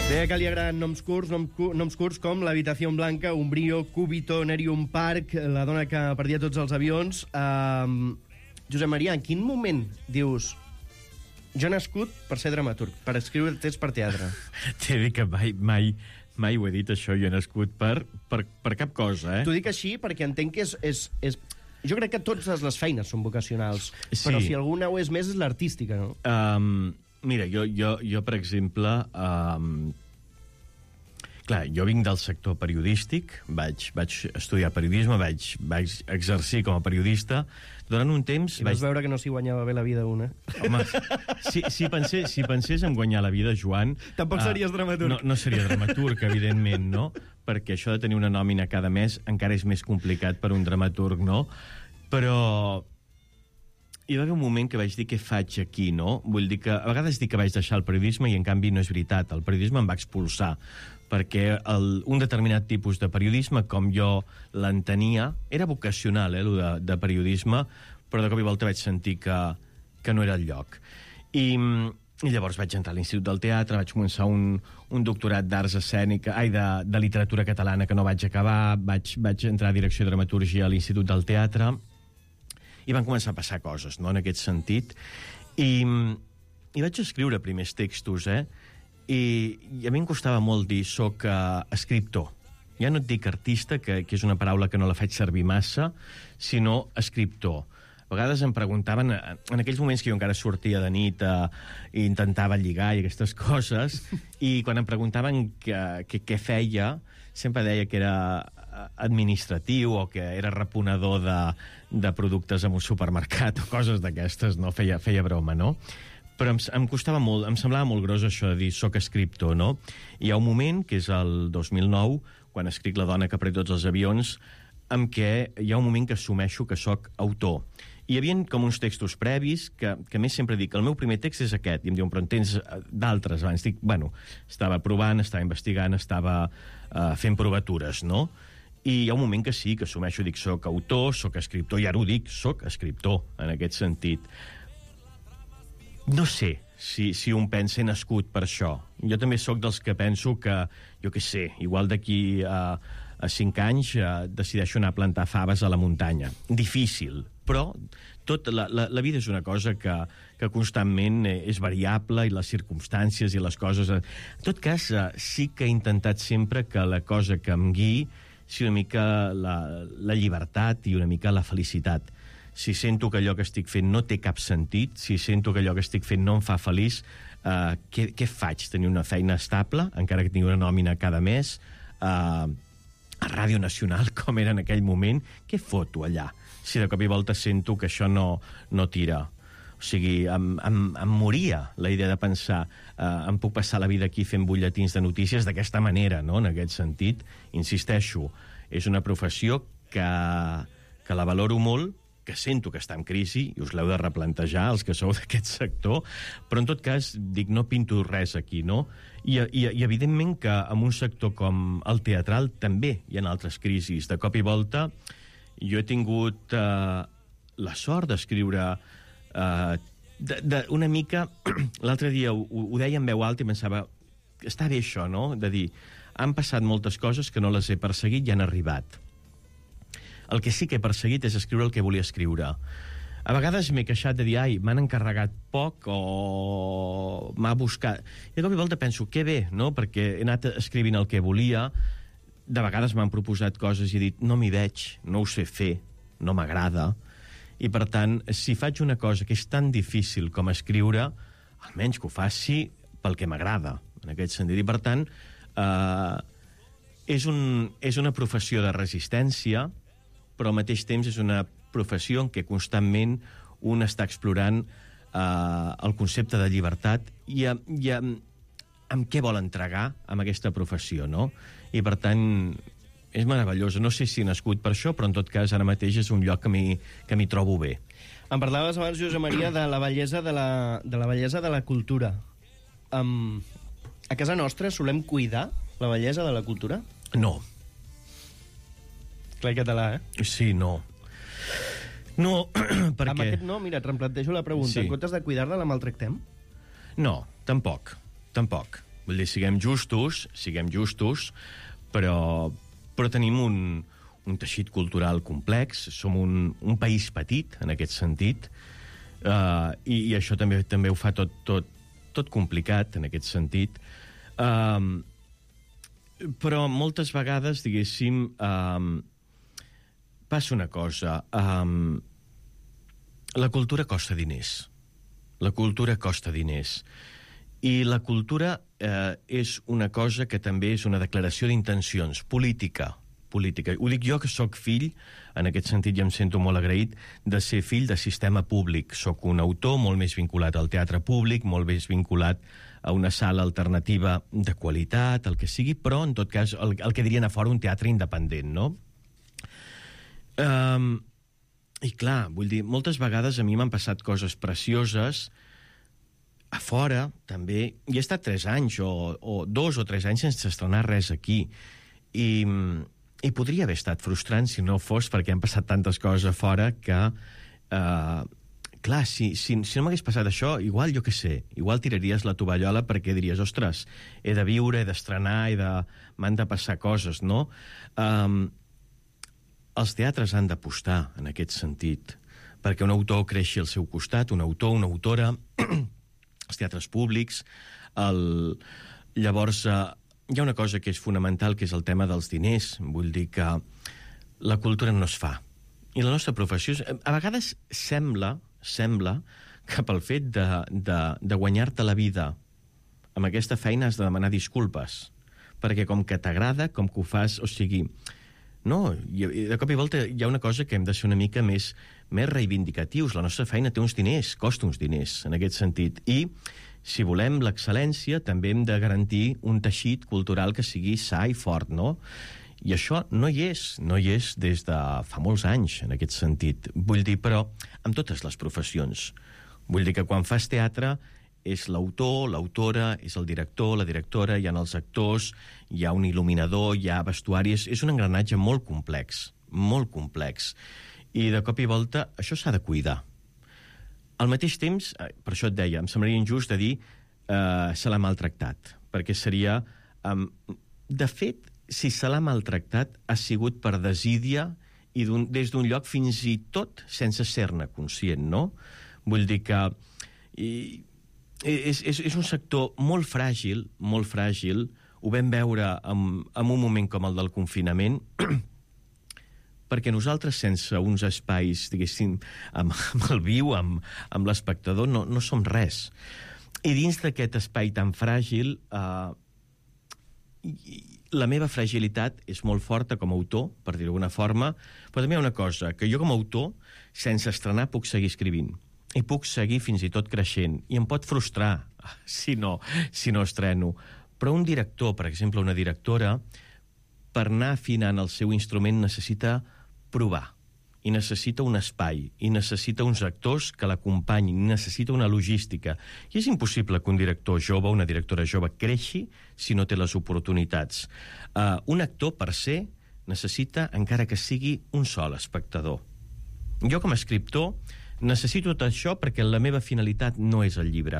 Deia que li agraden noms curts, nom, noms curts com l'Habitació Blanca, Umbrío, Cúbito, Nerium Park, la dona que perdia tots els avions. Uh, Josep Maria, en quin moment dius jo he nascut per ser dramaturg, per escriure text per teatre? T'he dit que mai, mai, mai ho he dit, això. Jo he nascut per, per, per cap cosa, eh? T'ho dic així perquè entenc que és... és, és... Jo crec que totes les feines són vocacionals, Sí. però si alguna ho és més és l'artística, no? Um, mira, jo, jo, jo, per exemple... Um, clar, jo vinc del sector periodístic, vaig, vaig estudiar periodisme, vaig, vaig exercir com a periodista. Durant un temps... I vaig... vas veure que no s'hi guanyava bé la vida una. Home, si, si, pensés, si pensés en guanyar la vida, Joan... Tampoc series dramaturg. No, no seria dramaturg, evidentment, no? Perquè això de tenir una nòmina cada mes encara és més complicat per un dramaturg, no? Però hi va haver un moment que vaig dir què faig aquí, no? Vull dir que a vegades dic que vaig deixar el periodisme i en canvi no és veritat. El periodisme em va expulsar perquè el, un determinat tipus de periodisme, com jo l'entenia, era vocacional, eh, el de, de periodisme, però de cop i volta vaig sentir que, que no era el lloc. I, i llavors vaig entrar a l'Institut del Teatre, vaig començar un, un doctorat d'arts escènica, ai, de, de literatura catalana que no vaig acabar, vaig, vaig entrar a direcció de dramatúrgia a l'Institut del Teatre, i van començar a passar coses, no?, en aquest sentit. I, i vaig escriure primers textos, eh? I, i a mi em costava molt dir soc uh, escriptor. Ja no et dic artista, que, que és una paraula que no la faig servir massa, sinó escriptor. A vegades em preguntaven, en aquells moments que jo encara sortia de nit uh, i intentava lligar i aquestes coses, i quan em preguntaven què feia, sempre deia que era administratiu o que era reponedor de, de productes en un supermercat o coses d'aquestes, no? Feia, feia broma, no? Però em, em costava molt, em semblava molt gros això de dir soc escriptor, no? Hi ha un moment, que és el dos mil nou, quan escric La dona que pren tots els avions, en què hi ha un moment que assumeixo que soc autor. Hi havia com uns textos previs que, que més sempre dic, el meu primer text és aquest, i em diuen, però en tens d'altres abans? Dic, bueno, estava provant, estava investigant, estava uh, fent provatures, no? I hi ha un moment que sí, que assumeixo, dic, soc autor, soc escriptor, i ara ho dic, soc escriptor, en aquest sentit. No sé si, si un pensa he nascut per això. Jo també sóc dels que penso que, jo què sé, igual d'aquí a, a cinc anys uh, decideixo anar a plantar faves a la muntanya. Difícil, però tot, la, la, la vida és una cosa que, que constantment és variable, i les circumstàncies i les coses... En tot cas, uh, sí que he intentat sempre que la cosa que em guiï sigui una mica la, la llibertat i una mica la felicitat. Si sento que allò que estic fent no té cap sentit, si sento que allò que estic fent no em fa feliç, uh, què, què faig? Tenir una feina estable, encara que tingui una nòmina cada mes, uh, a Ràdio Nacional, com era en aquell moment, què foto allà? Si de cop i volta sento que això no, no tira. O sigui, em, em, em moria la idea de pensar eh, em puc passar la vida aquí fent butlletins de notícies d'aquesta manera, no?, en aquest sentit. Insisteixo, és una professió que, que la valoro molt, que sento que està en crisi, i us l'heu de replantejar, els que sou d'aquest sector, però en tot cas, dic, no pinto res aquí, no? I, i, i evidentment que en un sector com el teatral també hi ha altres crisis. De cop i volta, jo he tingut eh, la sort d'escriure Uh, de, de, una mica... L'altre dia ho, ho deia en veu alta i pensava, està bé això, no?, de dir, han passat moltes coses que no les he perseguit i han arribat. El que sí que he perseguit és escriure el que volia escriure. A vegades m'he queixat de dir, ai, m'han encarregat poc o m'ha buscat... I de cop i volta penso, que bé, no?, perquè he anat escrivint el que volia. De vegades m'han proposat coses i he dit, no m'hi veig, no ho sé fer, no m'agrada. I, per tant, si faig una cosa que és tan difícil com escriure, almenys que ho faci pel que m'agrada, en aquest sentit. I, per tant, eh, és, un, és una professió de resistència, però al mateix temps és una professió en què constantment un està explorant eh, el concepte de llibertat i, i amb, amb què vol entregar amb aquesta professió, no? I, per tant, és meravellosa. No sé si he nascut per això, però en tot cas ara mateix és un lloc que m'hi que m'hi trobo bé. Em parlaves abans, Josep Maria, de la bellesa de la, de la, bellesa de la cultura. Um, a casa nostra solem cuidar la bellesa de la cultura? No. Clar, català, eh? Sí, no. No, perquè... Amb aquest no, mira, et replantejo la pregunta. Sí. En comptes de cuidar-la, la maltractem? No, tampoc. Tampoc. Vull dir, siguem justos, siguem justos, però, però tenim un, un teixit cultural complex, som un, un país petit, en aquest sentit, uh, i, i això també també ho fa tot, tot, tot complicat, en aquest sentit. Uh, però moltes vegades, diguéssim, uh, passa una cosa. Um, la cultura costa diners. La cultura costa diners. I la cultura eh, és una cosa que també és una declaració d'intencions, política. política. Ho dic jo, que sóc fill, en aquest sentit ja em sento molt agraït, de ser fill de sistema públic. Sóc un autor molt més vinculat al teatre públic, molt més vinculat a una sala alternativa de qualitat, el que sigui, però, en tot cas, el, el que dirien a fora un teatre independent, no? Um, I clar, vull dir, moltes vegades a mi m'han passat coses precioses a fora, també. I he estat tres anys, o, o dos o tres anys sense estrenar res aquí. I, i podria haver estat frustrant si no fos perquè han passat tantes coses a fora que, uh, clar, si, si, si no m'hagués passat això, igual, jo què sé, igual tiraries la tovallola perquè diries, ostres, he de viure, he d'estrenar, he de... m'han de passar coses, no? Um, els teatres han d'apostar en aquest sentit, perquè un autor creixi al seu costat, un autor, una autora, els teatres públics, el... llavors eh, hi ha una cosa que és fonamental, que és el tema dels diners. Vull dir que la cultura no es fa. I la nostra professió, és... a vegades sembla, sembla que pel fet de, de, de guanyar-te la vida amb aquesta feina has de demanar disculpes, perquè com que t'agrada, com que ho fas, o sigui... No, i de cop i volta hi ha una cosa que hem de ser una mica més, més reivindicatius. La nostra feina té uns diners, costa uns diners, en aquest sentit. I, si volem l'excel·lència, també hem de garantir un teixit cultural que sigui sa i fort, no? I això no hi és, no hi és des de fa molts anys, en aquest sentit. Vull dir, però, amb totes les professions. Vull dir que quan fas teatre és l'autor, l'autora, és el director, la directora, hi ha els actors, hi ha un il·luminador, hi ha vestuari... És, és un engranatge molt complex, molt complex. I de cop i volta això s'ha de cuidar. Al mateix temps, per això et deia, em semblaria injust de dir eh, se l'ha maltractat, perquè seria... Eh, de fet, si se l'ha maltractat, ha sigut per desídia i des d'un lloc fins i tot sense ser-ne conscient, no? Vull dir que... I, És, és, és un sector molt fràgil, molt fràgil. Ho vam veure en, en un moment com el del confinament, perquè nosaltres, sense uns espais, diguéssim, amb, amb el viu, amb, amb l'espectador, no, no som res. I dins d'aquest espai tan fràgil, eh, la meva fragilitat és molt forta com a autor, per dir-ho d'alguna forma, però també hi ha una cosa, que jo com a autor, sense estrenar, puc seguir escrivint. I puc seguir fins i tot creixent. I em pot frustrar si no, si no estreno. Però un director, per exemple, una directora, per anar afinant el seu instrument necessita provar. I necessita un espai. I necessita uns actors que l'acompanyin. I necessita una logística. I és impossible que un director jove, una directora jove, creixi si no té les oportunitats. Uh, un actor, per ser, necessita, encara que sigui un sol espectador. Jo, com a escriptor, necessito tot això perquè la meva finalitat no és el llibre,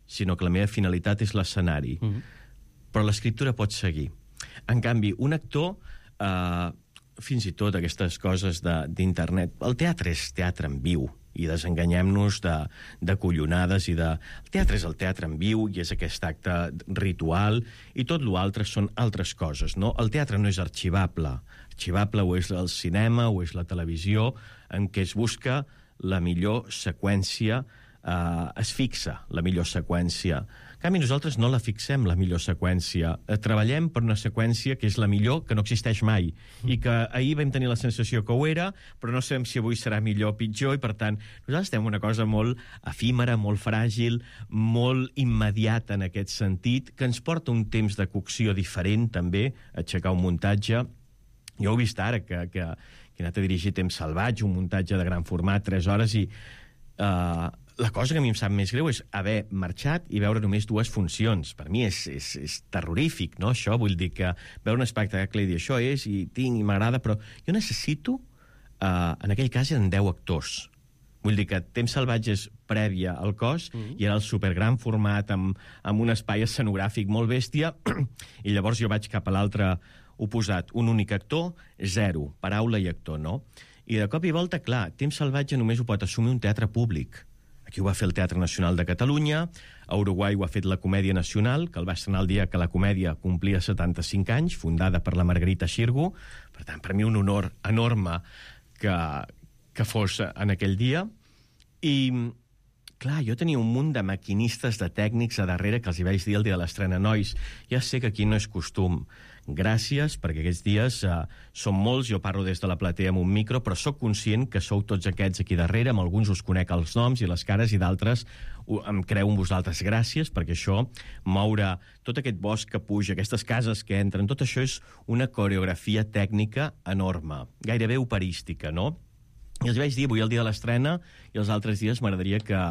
sinó que la meva finalitat és l'escenari. Mm-hmm. Però l'escriptura pot seguir. En canvi, un actor, eh, fins i tot aquestes coses d'internet... El teatre és teatre en viu, i desenganyem-nos de, de collonades i de... El teatre és el teatre en viu i és aquest acte ritual, i tot l'altre són altres coses, no? El teatre no és arxivable. Arxivable o és el cinema o és la televisió, en què es busca la millor seqüència eh, es fixa la millor seqüència. En canvi, nosaltres no la fixem, la millor seqüència. Eh, treballem per una seqüència que és la millor, que no existeix mai, i que ahir vam tenir la sensació que ho era, però no sabem si avui serà millor o pitjor, i per tant, nosaltres tenim una cosa molt efímera, molt fràgil, molt immediata en aquest sentit, que ens porta un temps de cocció diferent, també, aixecar un muntatge. Jo ho he vist ara, que, que, que he anat a dirigir Temps salvatge, un muntatge de gran format, tres hores, i uh, la cosa que a mi em sap més greu és haver marxat i veure només dues funcions. Per mi és, és, és terrorífic, no?, això. Vull dir que veure un espectacle i dir això és, i tinc, i m'agrada, però jo necessito, uh, en aquell cas eren deu actors. Vull dir que Temps salvatge és prèvia al cos, mm. i era el supergran format, amb, amb un espai escenogràfic molt bèstia, i llavors jo vaig cap a l'altre oposat, un únic actor, zero, paraula i actor, no? I de cop i volta, clar, Temps salvatge només ho pot assumir un teatre públic. Aquí ho va fer el Teatre Nacional de Catalunya, a Uruguai ho ha fet la Comèdia Nacional, que el va estrenar el dia que la comèdia complia setanta-cinc anys, fundada per la Margarita Xirgu. Per tant, per mi un honor enorme que, que fos en aquell dia. I, clar, jo tenia un munt de maquinistes, de tècnics a darrere, que els hi vaig dir el dia de l'estrena: nois, ja sé que aquí no és costum. Gràcies, perquè aquests dies uh, són molts, jo parlo des de la platea amb un micro, però sóc conscient que sou tots aquests aquí darrere, amb alguns us conec els noms i les cares, i d'altres uh, em creu en vosaltres. Gràcies, perquè això, moure tot aquest bosc que puja, aquestes cases que entren, tot això és una coreografia tècnica enorme, gairebé operística, no? I els vaig dir avui el dia de l'estrena, i els altres dies m'agradaria que,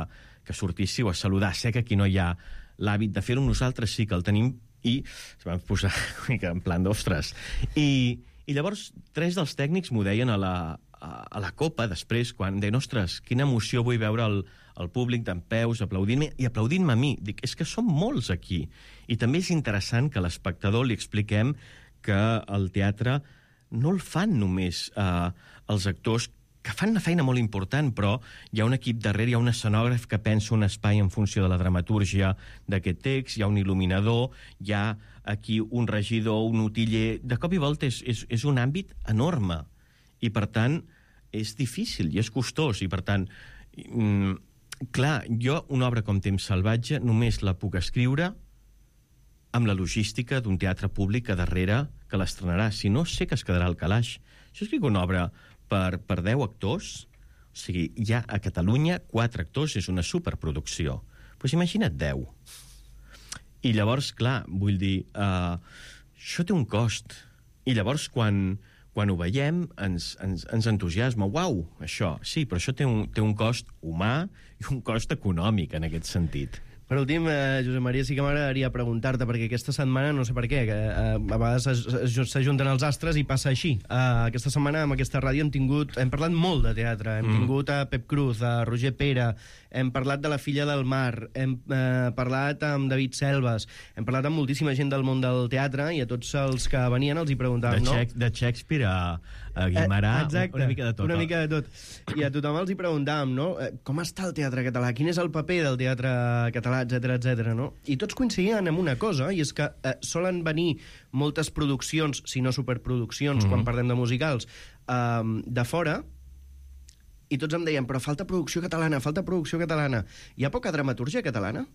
que sortíssiu a saludar. Sé que aquí no hi ha l'hàbit de fer-ho, nosaltres sí que el tenim, i es van posar una mica en plan d'ostres. I, I llavors tres dels tècnics m'ho deien a la, a, a la copa després, quan deien: ostres, quina emoció vull veure el, el públic dempeus aplaudint-me, i aplaudint-me a mi. Dic, és que som molts aquí. I també és interessant que a l'espectador li expliquem que el teatre no el fan només eh, els actors, que fan una feina molt important, però hi ha un equip darrere, hi ha un escenògraf que pensa un espai en funció de la dramatúrgia d'aquest text, hi ha un il·luminador, hi ha aquí un regidor, un utiller... De cop i volta és, és, és un àmbit enorme, i per tant és difícil i és costós, i per tant, mm, clar, jo una obra com Temps salvatge només la puc escriure amb la logística d'un teatre públic a darrere que l'estrenarà, si no sé que es quedarà al calaix. Jo escric una obra per, per deu actors, o sigui, hi ha a Catalunya quatre actors, és una superproducció. Doncs pues imagina't deu. I llavors, clar, vull dir, uh, això té un cost. I llavors, quan, quan ho veiem, ens, ens, ens entusiasma. Uau, això, sí, però això té un, té un cost humà i un cost econòmic, en aquest sentit. Per últim, eh, Josep Maria, sí que m'agradaria preguntar-te, perquè aquesta setmana, no sé per què, que eh, a vegades s'ajunten els astres i passa així. Eh, aquesta setmana, amb aquesta ràdio, hem tingut, hem parlat molt de teatre. Hem mm. tingut a Pep Cruz, a Roger Pera, hem parlat de La filla del mar, hem eh, parlat amb David Selves, hem parlat amb moltíssima gent del món del teatre, i a tots els que venien els hi preguntàvem, no? De Shakespeare a, a Guimarà, eh, exacte, una mica de tot. Una mica de tot. I a tothom els hi preguntàvem, no? Com està el teatre català? Quin és el paper del teatre català? Etcètera, etcètera, no? I tots coincidien en una cosa, i és que eh, solen venir moltes produccions, si no superproduccions, mm-hmm. quan parlem de musicals, eh, de fora, i tots em deien, però falta producció catalana, falta producció catalana. Hi ha poca dramatúrgia catalana?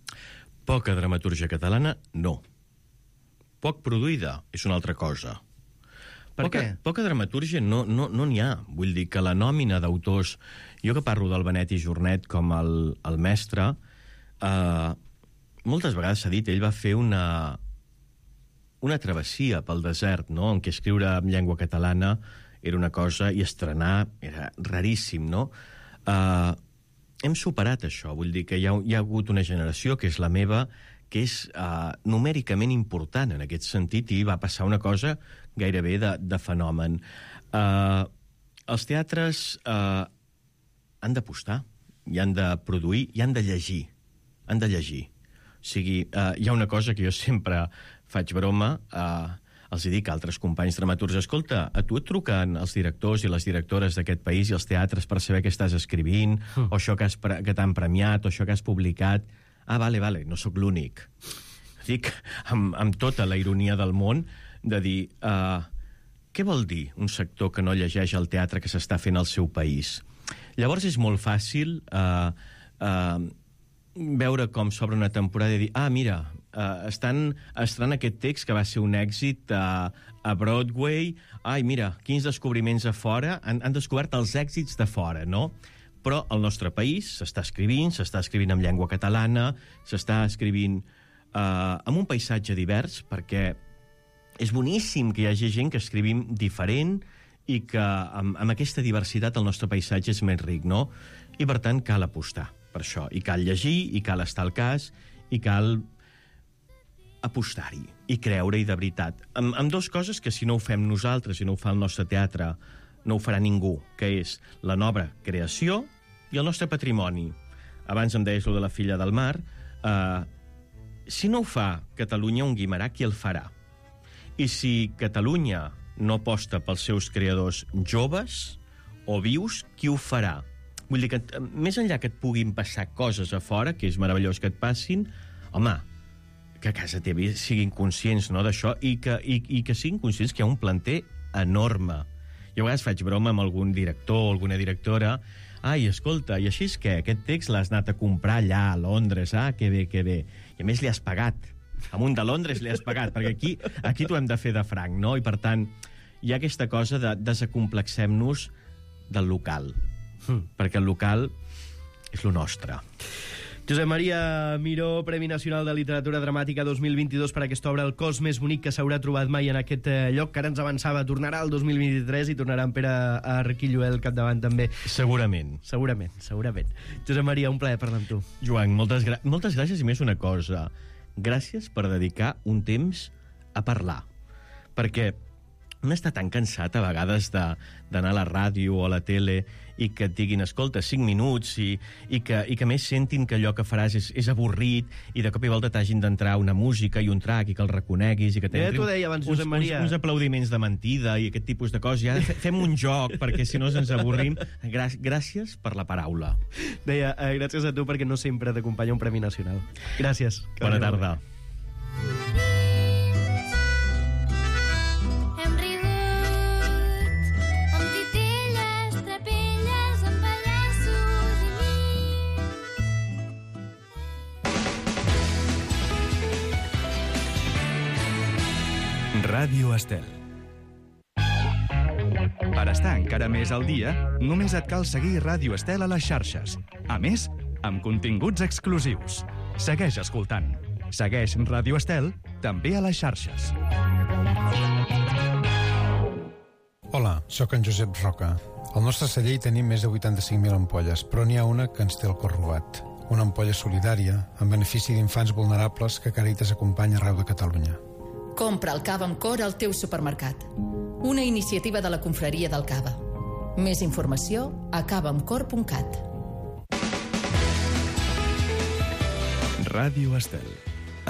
Poca dramatúrgia catalana, no. Poc produïda és una altra cosa. Per poca, què? Poca dramatúrgia no no no n'hi ha. Vull dir que la nòmina d'autors... Jo que parlo del Benet i Jornet com el, el mestre, eh, moltes vegades s'ha dit, ell va fer una, una travessia pel desert, no?, en què escriure en llengua catalana era una cosa i estrenar era raríssim, no? Eh, hem superat això, vull dir que hi ha, hi ha hagut una generació, que és la meva, que és eh, numèricament important en aquest sentit, i va passar una cosa gairebé de, de fenomen. Eh, els teatres eh, han d'apostar, i han de produir, i han de llegir. Han de llegir. O sigui, eh, hi ha una cosa que jo sempre faig broma, eh, els dic a altres companys dramaturgs: escolta, a tu et truquen els directors i les directores d'aquest país i els teatres per saber què estàs escrivint, mm. o això que, has pre que t'han premiat, o això que has publicat. Ah, vale, vale, no sóc l'únic. Dic, amb, amb tota la ironia del món, de dir, uh, què vol dir un sector que no llegeix el teatre que s'està fent al seu país? Llavors és molt fàcil uh, uh, veure com s'obre una temporada i dir, ah, mira, uh, estan estrenant aquest text que va ser un èxit a, a Broadway, ai, mira, quins descobriments a fora, han, han descobert els èxits de fora, no? Però al nostre país s'està escrivint, s'està escrivint en llengua catalana, s'està escrivint uh, amb un paisatge divers, perquè és boníssim que hi hagi gent que escrivim diferent i que amb, amb aquesta diversitat el nostre paisatge és més ric, no? I, per tant, cal apostar per això. I cal llegir, i cal estar al cas, i cal apostar-hi, i creure-hi de veritat. Amb, amb dues coses que si no ho fem nosaltres, si no ho fa el nostre teatre, no ho farà ningú, que és la nova creació i el nostre patrimoni. Abans em deies lo de la filla del mar. Eh, si no ho fa Catalunya, un Guimerà, qui el farà? I si Catalunya no aposta pels seus creadors joves o vius, qui ho farà? Vull dir que, més enllà que et puguin passar coses a fora, que és meravellós que et passin, home, que a casa teva siguin conscients, no, d'això, i que, i, i que siguin conscients que hi ha un planter enorme. Jo a vegades faig broma amb algun director o alguna directora, ai, escolta, i així és que aquest text l'has anat a comprar allà, a Londres, ah, que bé, que bé. I a més li has pagat. A un de Londres li has pagat, perquè aquí, aquí t'ho hem de fer de franc, no? I per tant, hi ha aquesta cosa de desacomplexem-nos del local, mm. perquè el local és lo nostre. Josep Maria Miró, Premi Nacional de Literatura Dramàtica dos mil vint-i-dos per aquesta obra, El cos més bonic que s'haurà trobat mai en aquest lloc, que ara ens avançava, tornarà el dos mil vint-i-tres i tornarà en Pere Arquilloé al capdavant també. Segurament. Segurament, segurament. Josep Maria, un plaer parlar amb tu. Joan, moltes, gra moltes gràcies i més una cosa. Gràcies per dedicar un temps a parlar. Perquè un està tan cansat a vegades d'anar a la ràdio o a la tele i que et diguin, escolta, cinc minuts i, i, que, i que més sentin que allò que faràs és, és avorrit i de cop i volta t'hagin d'entrar una música i un track i que el reconeguis i que ja t'ho deia abans, Josep Maria. Uns, uns aplaudiments de mentida i aquest tipus de coses. Ja fem un joc perquè si no ens avorrim. Grà gràcies per la paraula. Deia, eh, gràcies a tu perquè no sempre t'acompanya un Premi Nacional. Gràcies. Bona tarda. Ràdio Estel. Per estar encara més al dia, només et cal seguir Ràdio Estel a les xarxes. A més, amb continguts exclusius. Segueix escoltant. Segueix Ràdio Estel també a les xarxes. Hola, sóc en Josep Roca. Al nostre celler hi tenim més de vuitanta-cinc mil ampolles, però n'hi ha una que ens té el cor robat. Una ampolla solidària, en benefici d'infants vulnerables que Càritas acompanya arreu de Catalunya. Compra el cava amb cor al teu supermercat. Una iniciativa de la Confraria del Cava. Més informació a cava amb cor punt cat. Ràdio Estel.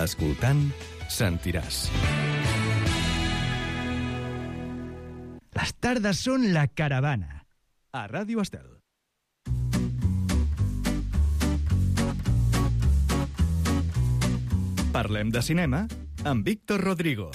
Escoltant, sentiràs. Les tardes són la caravana. A Ràdio Estel. Parlem de cinema amb Víctor Rodrigo.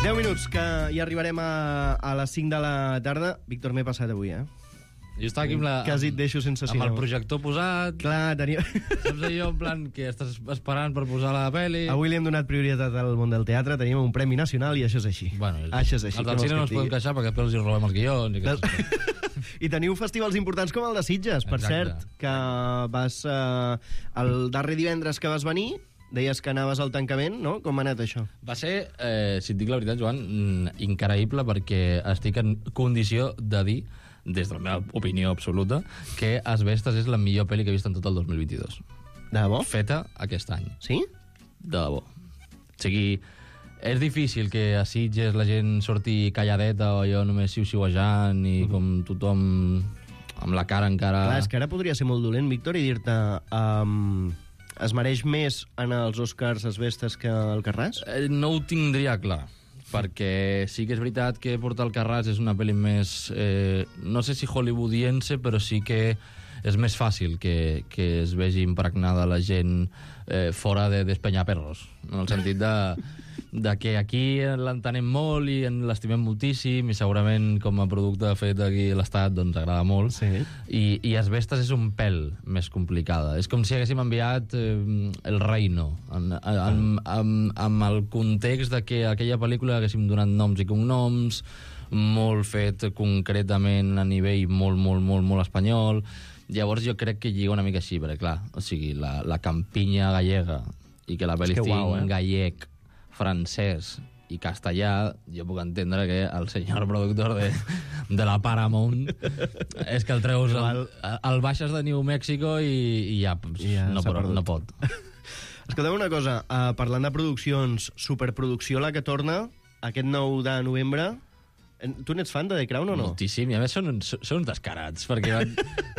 deu minuts, que ja arribarem a, a les cinc de la tarda. Víctor, m'he passat avui, eh? Jo estava aquí amb, la, Quasi et deixo sense cinema. amb el projector posat. Clar, tenia... Saps allò, en plan, que estàs esperant per posar la pel·li? Avui li hem donat prioritat al món del teatre, teníem un Premi Nacional i això és així. Bueno, és... Això és així. Els del cine no ens podem queixar perquè després els hi robem els guions. I, que... I teniu festivals importants com el de Sitges, per Exacte. cert, que vas... Eh, el darrer divendres que vas venir, deies que anaves al tancament, no? Com ha anat això? Va ser, eh, si et dic la veritat, Joan, increïble perquè estic en condició de dir, des de la meva opinió absoluta, que Asbestes és la millor pel·li que he vist en tot el dos mil vint-i-dos. De debò? Feta aquest any. Sí? De debò. O sigui, és difícil que a Sitges la gent surti calladeta o jo només xiu-xiuejant i mm. com tothom amb la cara encara... Clar, és que ara podria ser molt dolent, Víctor, i dir-te... Um, es mereix més en els Oscars Asbestes que el Carràs? Eh, no ho tindria clar. perquè sí que és veritat que Portal Carràs és una pel·li més, eh, no sé si hollywoodiense, però sí que és més fàcil que, que es vegi impregnada la gent eh, fora de despenyaperros, en el sentit de, de que aquí l'entenem molt i en l'estimem moltíssim i segurament com a producte fet aquí a l'Estat doncs agrada molt, Sí. I, i Asbestes és un pèl més complicada. És com si haguéssim enviat eh, El Reino, en, en, en, amb el context de que aquella pel·lícula haguéssim donat noms i cognoms, molt fet concretament a nivell molt, molt, molt, molt espanyol. Llavors jo crec que lliga una mica així, perquè clar, o sigui, la, la campinya gallega i que la pel·li estigui uau, eh? en gallec, francès i castellà, jo puc entendre que el senyor productor de, de la Paramount és que el treus, el, el baixes de New Mexico i, i ja, I ja no, s'ha però, perdut. no pot. Escolteu una cosa, uh, parlant de produccions, superproducció la que torna, aquest nou de novembre. Tu n'ets fan de The Crown o no? Moltíssim, i a més són, uns- són uns descarats, perquè van,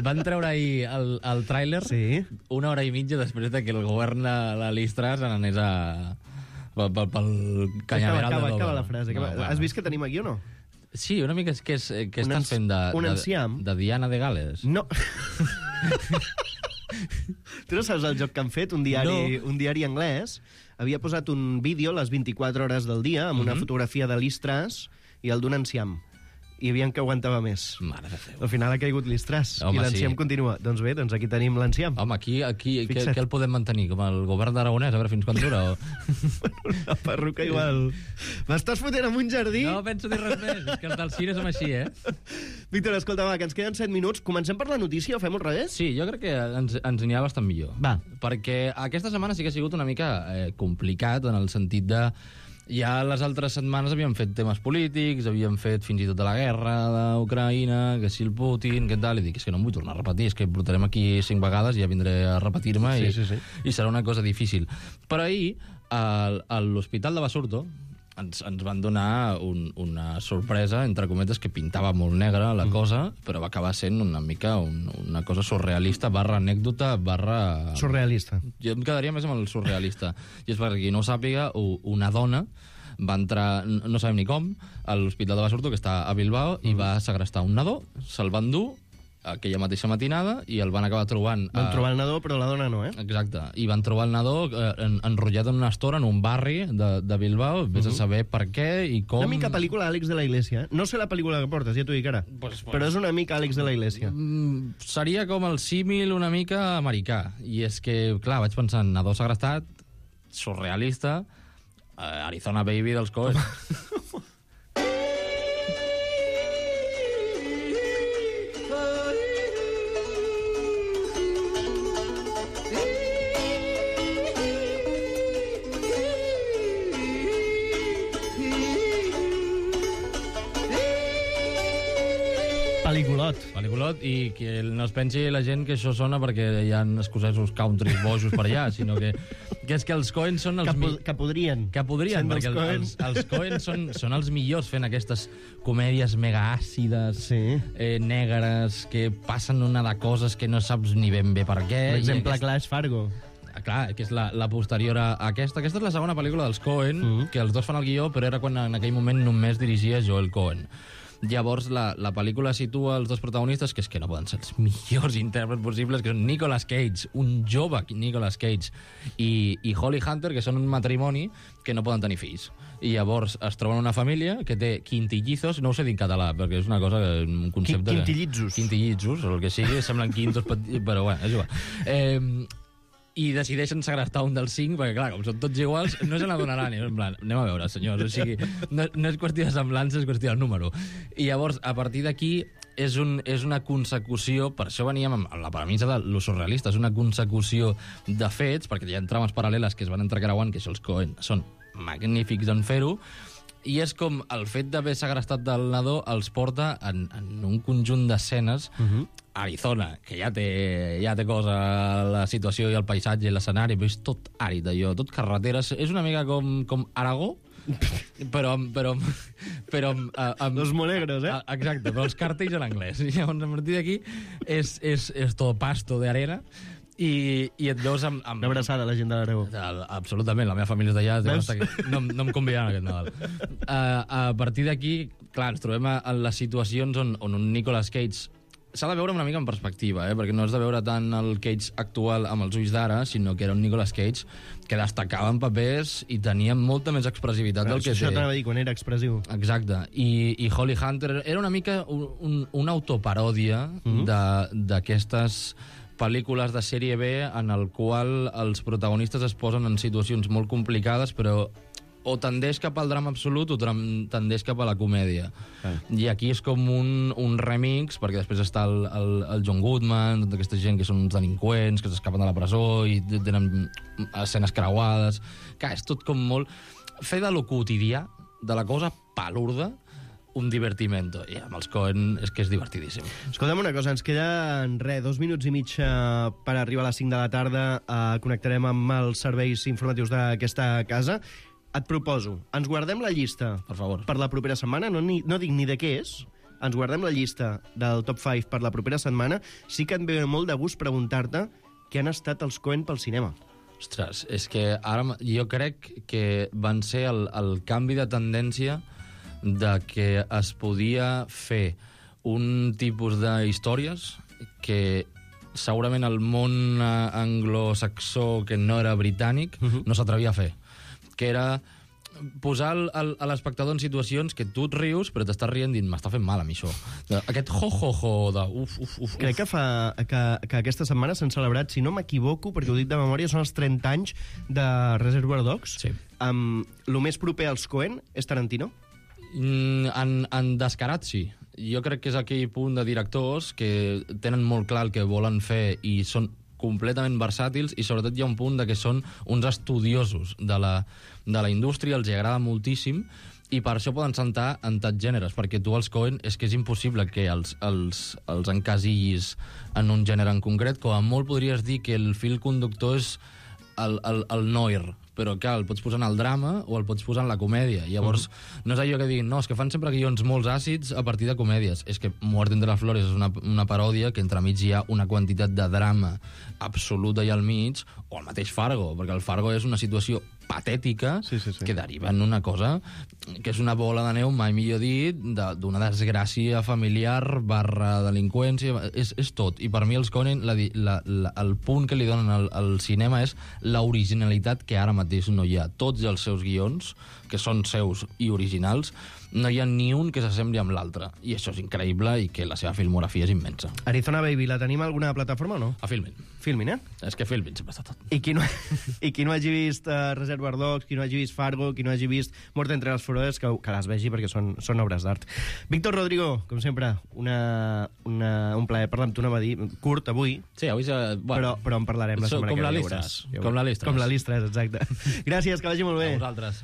van treure ahir el, el tràiler Sí. una hora i mitja després de que el govern de la Listra se n'anés a... pel, pel, pel canyaveral acaba, de acaba Dover. la frase. No, Acaba. bueno. Has vist que tenim aquí o no? Sí, una mica és que, és, que Un estàs ens- fent de, un de, enciam. de Diana de Gales. No. Tu no saps el joc que han fet? Un diari, No. un diari anglès havia posat un vídeo a les vint-i-quatre hores del dia amb una Mhm. fotografia de l'Istràs i el d'un enciam. I hi havia que aguantava més. Mare de Déu. Al final ha caigut l'Istràs Home, i l'enciam sí. continua. Doncs bé, doncs aquí tenim l'enciam. Home, aquí, aquí què, Fixa't. què el podem mantenir? Com el govern d'Aragonès, a veure fins quan dura? O... La perruca igual... M'estàs fotent en un jardí? No penso dir res més, és que els del cine som així, eh? Víctor, escolta, va, que ens queden set minuts. Comencem per la notícia o fem al revés? Sí, jo crec que ens, ens anirà bastant millor. Va. Perquè aquesta setmana sí que ha sigut una mica eh, complicat en el sentit de... Ja les altres setmanes havíem fet temes polítics, havíem fet fins i tot de la guerra d'Ucraïna, que si el Putin, què tal, i dic, és que no em vull tornar a repetir, és que portarem aquí cinc vegades i ja vindré a repetir-me Sí, i, sí, sí. i serà una cosa difícil. Però ahir, al- a l'Hospital de Basurto, ens, ens van donar un, una sorpresa, entre cometes, que pintava molt negra la cosa, però va acabar sent una mica un, una cosa surrealista, barra anècdota, barra... Surrealista. Jo em quedaria més amb el surrealista. I és perquè qui no ho sàpiga, u- una dona va entrar, n- no sabem ni com, a l'Hospital de Basurto, que està a Bilbao, i va segrestar un nadó, se'l van dur aquella mateixa matinada i el van acabar trobant... Van a- trobar el nadó, però la dona no, eh? Exacte, i van trobar el nadó eh, en, enrotllat en una estora en un barri de, de Bilbao, vés a saber per què i com... Una mica pel·lícula Àlex de la Iglesia. Eh? No sé la pel·lícula que portes, ja t'ho dic ara. Pues, pues. Però és una mica Àlex de la Iglesia. Mm, seria com el símil una mica americà. I és que, clar, vaig pensar en nadó segrestat, surrealista, eh, Arizona Baby dels Coen. Pel·lículot. Pel·lículot, i que no es pensi la gent que això sona perquè hi ha escocesos country bojos per allà, sinó que, que és que els Coen són els... Que, po mi- que podrien. Que podrien, Sent perquè dels Coen. els, els Coen són, són els millors fent aquestes comèdies mega àcides, Sí. eh, negres, que passen una de coses que no saps ni ben bé per què. Per i exemple, aquest- Clash Fargo. Ah, clar, que és la, la posterior a aquesta. Aquesta és la segona pel·lícula dels Coen, Mhm. que els dos fan el guió, però era quan en aquell moment només dirigia Joel Coen. Llavors, la, la pel·lícula situa els dos protagonistes, que és que no poden ser els millors intèrprets possibles, que són Nicolas Cage, un jove Nicolas Cage, i, i Holly Hunter, que són un matrimoni que no poden tenir fills. I llavors es troben una família que té quintillizos, no ho sé dir en català, perquè és una cosa, que- un concepte... que- Quintillizos. Quintillizos, o el que sigui, semblen quintos, petits, però bueno, és igual. Eh, i decideixen segrestar un dels cinc, perquè clar, com són tots iguals, no se n'adonaran. I en plan, anem a veure, senyors, o sigui, no, no és qüestió de semblança, és qüestió del número. I llavors, a partir d'aquí, és, un, és una consecució, per això veníem amb la premissa de lo surrealista, és una consecució de fets, perquè hi ha trames paral·leles que es van entrecreuant, que això els Coen són magnífics en fer-ho, i és com el fet d'haver segrestat del nadó els porta en, en un conjunt d'escenes uh -huh. Arizona, que ja té, ja té cosa la situació i el paisatge i l'escenari, però és tot àrid, allò, tot carreteres. És una mica com, com Aragó, però, amb- però, amb- però amb, a- amb, Los molegros, eh? a- exacte, però els càrtels en anglès. I llavors, a partir d'aquí, és, és, és tot pasto de arena. I, i et veus amb... amb... Una abraçada a la gent de l'Aragó. Absolutament, la meva família és d'allà, no, no em convidaran aquest Nadal. Uh, a partir d'aquí, clar, ens trobem en les situacions on, on un Nicolas Cage s'ha de veure una mica en perspectiva, eh? Perquè no has de veure tant el Cage actual amb els ulls d'ara, sinó que era un Nicolas Cage que destacava en papers i tenia molta més expressivitat del que Això té. t'anava a dir, quan era expressiu. Exacte. I, i Holly Hunter era una mica un, un, una autoparòdia mm-hmm. d'aquestes pel·lícules de sèrie B en el qual els protagonistes es posen en situacions molt complicades, però o tendeix cap al drama absolut o tendeix cap a la comèdia. Ah. I aquí és com un, un remix, perquè després està el, el, el John Goodman, tota aquesta gent que són uns delinqüents, que s'escapen de la presó i tenen escenes creuades. Que és tot com molt... Fer de lo quotidià, de la cosa palurda, un divertimento. I amb els Coen és que és divertidíssim. Escolta'm una cosa, ens queden, res, dos minuts i mig uh, per arribar a les cinc de la tarda. Uh, connectarem amb els serveis informatius d'aquesta casa. Et proposo, ens guardem la llista per favor, per la propera setmana, no, ni, no dic ni de què és, ens guardem la llista del top cinc per la propera setmana. Sí que em ve molt de gust preguntar-te què han estat els Coen pel cinema. Ostres, és que ara jo crec que van ser el, el canvi de tendència de que es podia fer un tipus de històries que segurament el món anglosaxó, que no era britànic, uh-huh. no s'atrevia a fer. Que era posar el, el, a l'espectador en situacions que tu et rius, però t'estàs rient dient, m'està fent mal a mi això. Aquest ho-ho-ho de uf, uf, uf. Crec que, fa, que, que aquesta setmana s'han celebrat, si no m'equivoco, perquè ho dic de memòria, són els trenta anys de Reservoir Dogs. Sí. Um, lo més proper als Coen és Tarantino? Mm, en, en descarat, sí. Jo crec que és aquell punt de directors que tenen molt clar el que volen fer i són completament versàtils, i sobretot hi ha un punt de que són uns estudiosos de la, de la indústria, els agrada moltíssim, i per això poden saltar en tants gèneres, perquè tu els Coen és que és impossible que els, els, els encasillis en un gènere en concret. Com a molt podries dir que el fil conductor és el, el, el noir, però clar, el pots posar en el drama o el pots posar en la comèdia. Llavors, mm. no és allò que diguin, no, és que fan sempre guions molt àcids a partir de comèdies. És que Muerte entre las flores és una, una paròdia que entremig hi ha una quantitat de drama absoluta i al mig, o el mateix Fargo, perquè el Fargo és una situació patètica sí, sí, sí. que deriva en una cosa que és una bola de neu, mai millor dit, d'una desgràcia familiar barra delinqüència, és, és tot. I per mi els Coen, la, la, la, el punt que li donen al, al cinema és l'originalitat que ara mateix no hi ha. Tots els seus guions, que són seus i originals, no hi ha ni un que s'assembli amb l'altre. I això és increïble, i que la seva filmografia és immensa. Arizona Baby, la tenim a alguna plataforma o no? A Filmin. Filmin, eh? És que Filmin sempre està tot. I qui no, i qui no hagi vist uh, Reservoir Dogs, qui no hagi vist Fargo, qui no hagi vist Mort entre les flores, que, que les vegi perquè són, són obres d'art. Víctor Rodrigo, com sempre, una, una, un plaer parlar amb tu, anava a dir, curt avui. Sí, avui... Ja, bueno, però, però en parlarem la setmana com que la ve. Listres. Com la Listres. Com la Listres, exacte. Gràcies, que vagi molt bé. A vosaltres.